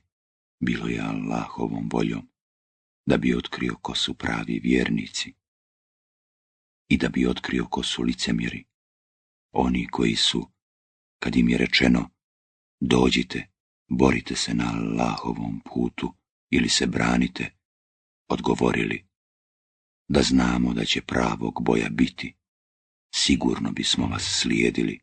bilo je Allahovom voljom, da bi otkrio ko su pravi vjernici i da bi otkrio ko su licemjeri, oni koji su, kad im je rečeno dođite, borite se na Allahovom putu ili se branite, odgovorili da znamo da će pravog boja biti, sigurno bismo vas slijedili.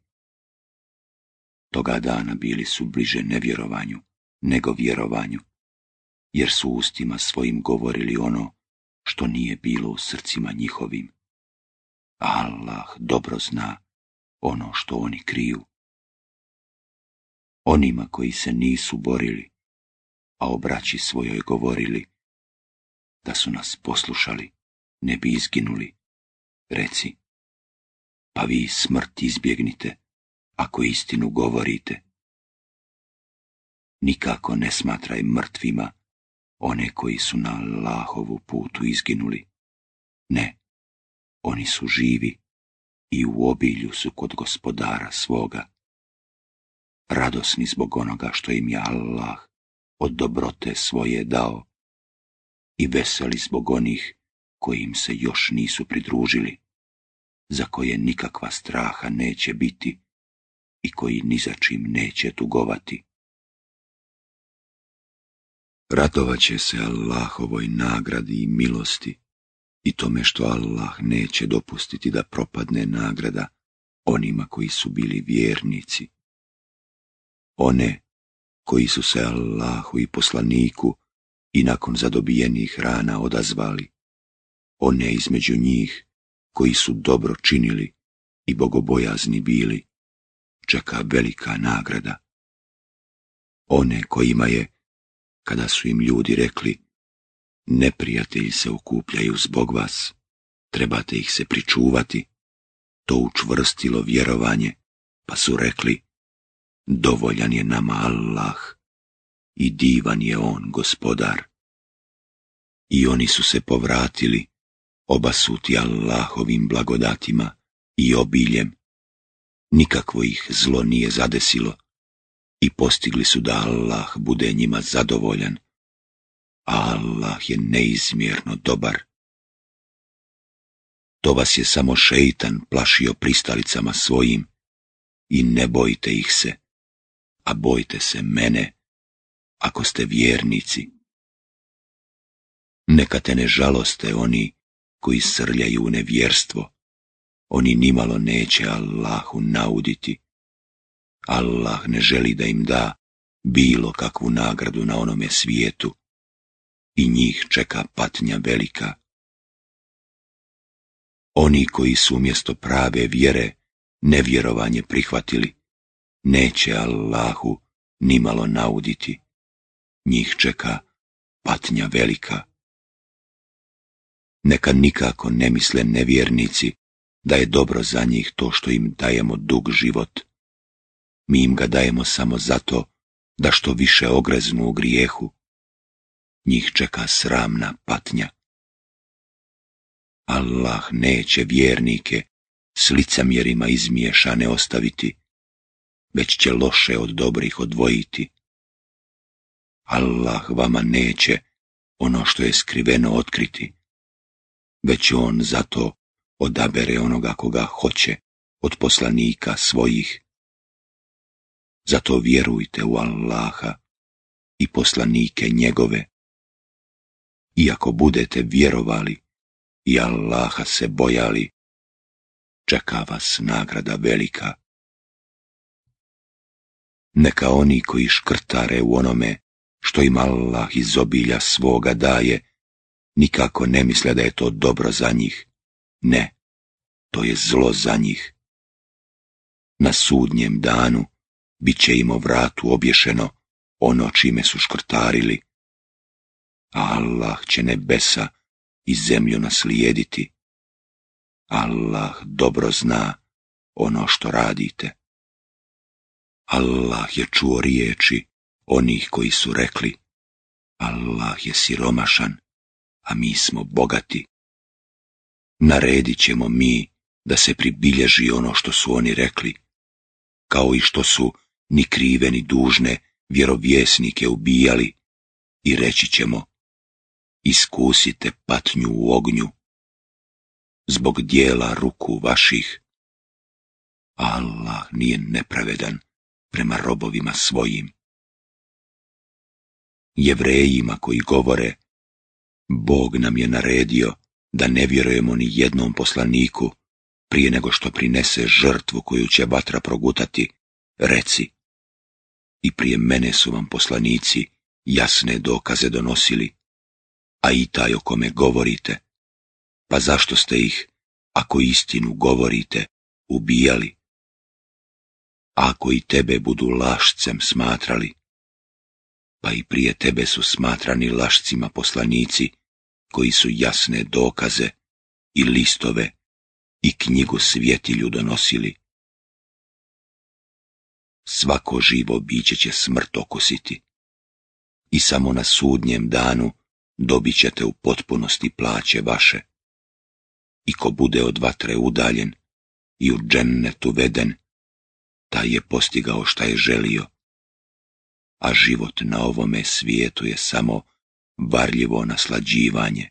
Toga dana bili su bliže nevjerovanju nego vjerovanju, jer su ustima svojim govorili ono što nije bilo u srcima njihovim. Allah dobro zna ono što oni kriju. Onima koji se nisu borili, a o braći svojoj govorili, da su nas poslušali, ne bi izginuli, reci, pa vi smrt izbjegnite, ako istinu govorite. Nikako ne smatraj mrtvima one koji su na Allahovu putu izginuli. Ne, oni su živi i u obilju su kod gospodara svoga, radosni zbog onoga što im je Allah od dobrote svoje dao i veseli zbog onih koji im se još nisu pridružili, za koje nikakva straha neće biti i koji ni za čim neće tugovati. Radovat će se Allahovoj nagradi i milosti i tome što Allah neće dopustiti da propadne nagrada onima koji su bili vjernici. One koji su se Allahu i poslaniku i nakon zadobijenih rana odazvali, one između njih koji su dobro činili i bogobojazni bili, čeka velika nagrada. One kojima je, kada su im ljudi rekli, neprijatelji se okupljaju zbog vas, trebate ih se pričuvati, to učvrstilo vjerovanje, pa su rekli, dovoljan je nama Allah i divan je on gospodar. I oni su se povratili, obasuti Allahovim blagodatima i obiljem. Nikakvo ih zlo nije zadesilo i postigli su da Allah bude njima zadovoljan, a Allah je neizmjerno dobar. To vas je samo šeitan plašio pristalicama svojim i ne bojte ih se, a bojte se mene, ako ste vjernici. Neka te ne žaloste oni koji srljaju u nevjerstvo, oni nimalo neće Allahu nauditi. Allah ne želi da im da bilo kakvu nagradu na onome svijetu i njih čeka patnja velika. Oni koji su umjesto prave vjere nevjerovanje prihvatili, neće Allahu nimalo nauditi, njih čeka patnja velika. Neka nikako ne misle nevjernici da je dobro za njih to što im dajemo dug život. Mi im ga dajemo samo zato da što više ogreznu u grijehu. Njih čeka sramna patnja. Allah neće vjernike s licemjerima izmiješane ostaviti, već će loše od dobrih odvojiti. Allah vama neće ono što je skriveno otkriti, već on zato odabere onoga koga hoće od poslanika svojih. Zato vjerujte u Allaha i poslanike njegove. Iako budete vjerovali i Allaha se bojali, čeka vas nagrada velika. Neka oni koji škrtare u onome što im Allah iz obilja svoga daje, nikako ne misle da je to dobro za njih. Ne, to je zlo za njih. Na sudnjem danu bit će im o vratu obješeno ono čime su škrtarili, a Allah će nebesa i zemlju naslijediti. Allah dobro zna ono što radite. Allah je čuo riječi onih koji su rekli: Allah je siromašan, a mi smo bogati. Naredit ćemo mi da se pribilježi ono što su oni rekli, kao i što su ni krive ni dužne vjerovjesnike ubijali, i reći ćemo: iskusite patnju u ognju zbog dijela ruku vaših. Allah nije nepravedan prema robovima svojim. Jevrejima koji govore: Bog nam je naredio da ne vjerujemo ni jednom poslaniku prije nego što prinese žrtvu koju će vatra progutati, reci: i prije mene su vam poslanici jasne dokaze donosili, a i taj o kome govorite, pa zašto ste ih, ako istinu govorite, ubijali? Ako i tebe budu lašcem smatrali, pa i prije tebe su smatrani lašcima poslanici koji su jasne dokaze i listove i knjigu svjetilju donosili. Svako živo biće će smrt okusiti i samo na sudnjem danu dobit ćete u potpunosti plaće vaše. I ko bude od vatre udaljen i u džennet uveden, taj je postigao šta je želio, a život na ovome svijetu je samo varljivo naslađivanje.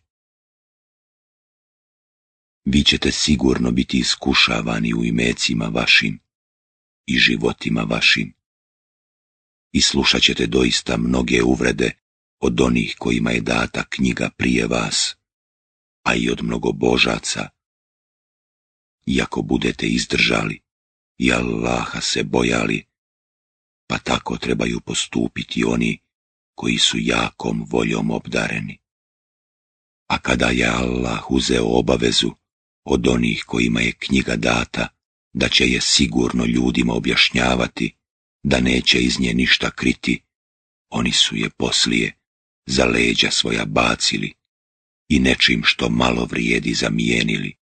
Vi ćete sigurno biti iskušavani u imecima vašim i životima vašim, i slušat ćete doista mnoge uvrede od onih kojima je data knjiga prije vas, a i od mnogobožaca. Iako budete izdržali i Allaha se bojali, pa tako trebaju postupiti oni koji su jakom voljom obdareni. A kada je Allah uzeo obavezu od onih kojima je knjiga data, da će je sigurno ljudima objašnjavati, da neće iz nje ništa kriti, oni su je poslije za leđa svoja bacili i nečim što malo vrijedi zamijenili.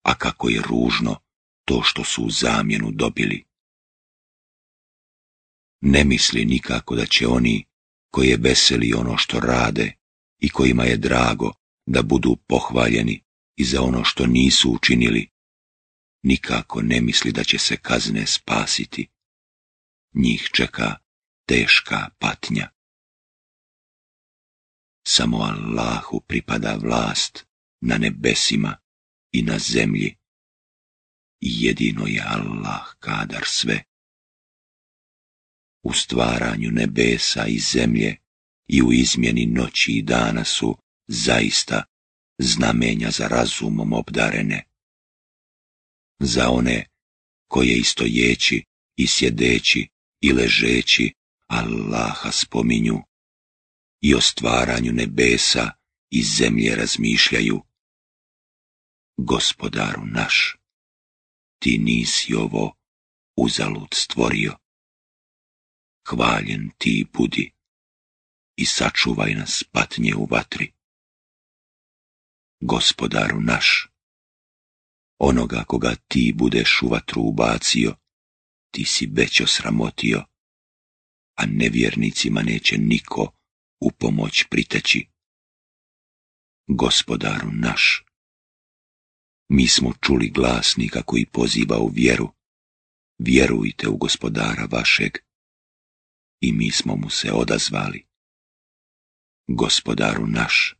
A kako je ružno to što su u zamjenu dobili. Ne misli nikako da će oni koje veseli ono što rade i kojima je drago da budu pohvaljeni i za ono što nisu učinili, nikako ne misli da će se kazne spasiti. Njih čeka teška patnja. Samo Allahu pripada vlast na nebesima i na zemlji, i jedino je Allah kadar sve. U stvaranju nebesa i zemlje i u izmjeni noći i dana su zaista znamenja za razumom obdarene. Za one koje i stojeći i sjedeći i ležeći Allaha spominju i o stvaranju nebesa i zemlje razmišljaju. Gospodaru naš, ti nisi ovo uzalud stvorio. Hvaljen ti budi i sačuvaj nas patnje u vatri. Gospodaru naš, onoga koga ti budeš u vatru ubacio, ti si već osramotio, a nevjernicima neće niko u pomoć priteći. Gospodaru naš, mi smo čuli glasnika koji poziva u vjeru: vjerujte u Gospodara vašeg, i mi smo mu se odazvali. Gospodaru naš,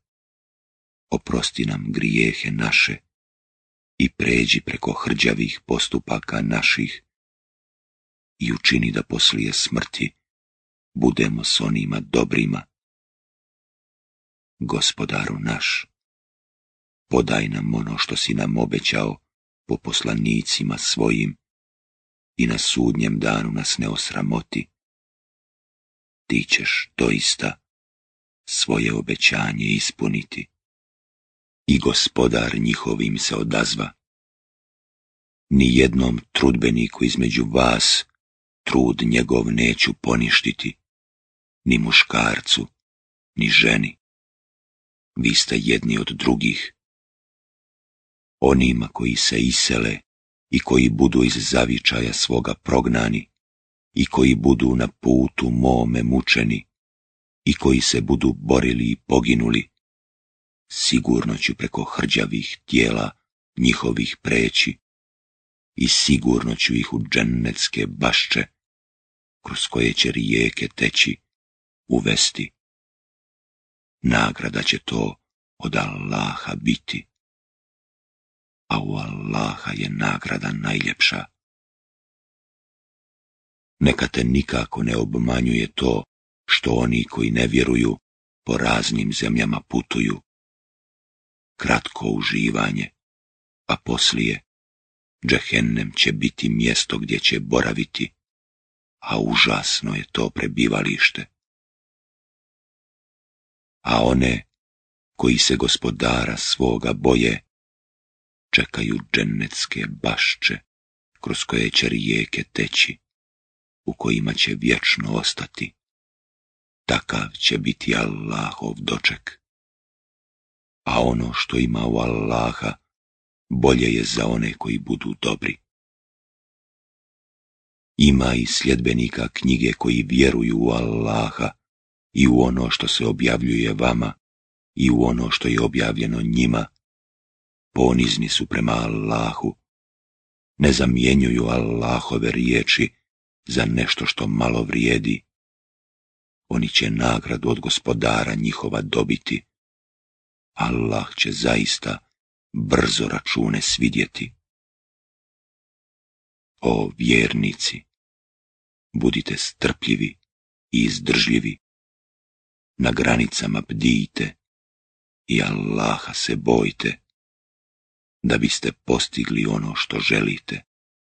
oprosti nam grijehe naše i pređi preko hrđavih postupaka naših i učini da poslije smrti budemo s onima dobrima. Gospodaru naš, podaj nam ono što si nam obećao po poslanicima svojim i na sudnjem danu nas ne osramoti. Ti ćeš doista svoje obećanje ispuniti. I Gospodar njihovim se odazva: Ni jednom trudbeniku između vas trud njegov neću poništiti, ni muškarcu, ni ženi. Vi ste jedni od drugih. Onima koji se isele i koji budu iz zavičaja svoga prognani i koji budu na putu mome mučeni i koji se budu borili i poginuli, sigurno ću preko hrđavih tijela njihovih preći i sigurno ću ih u džennetske bašče, kroz koje će rijeke teći, uvesti. Nagrada će to od Allaha biti, a u Allaha je nagrada najljepša. Neka te nikako ne obmanjuje to što oni koji ne vjeruju po raznim zemljama putuju. Kratko uživanje, a poslije džehennem će biti mjesto gdje će boraviti, a užasno je to prebivalište. A one koji se gospodara svoga boje, čekaju džennetske bašče, kroz koje će rijeke teći, u kojima će vječno ostati. Takav će biti Allahov doček. A ono što ima u Allaha, bolje je za one koji budu dobri. Ima i sljedbenika knjige koji vjeruju u Allaha i u ono što se objavljuje vama i u ono što je objavljeno njima. Ponizni su prema Allahu, ne zamjenjuju Allahove riječi za nešto što malo vrijedi. Oni će nagradu od gospodara njihova dobiti. Allah će zaista brzo račune svidjeti. O vjernici, budite strpljivi i izdržljivi, na granicama bdijte i Allaha se bojte, da biste postigli ono što želite.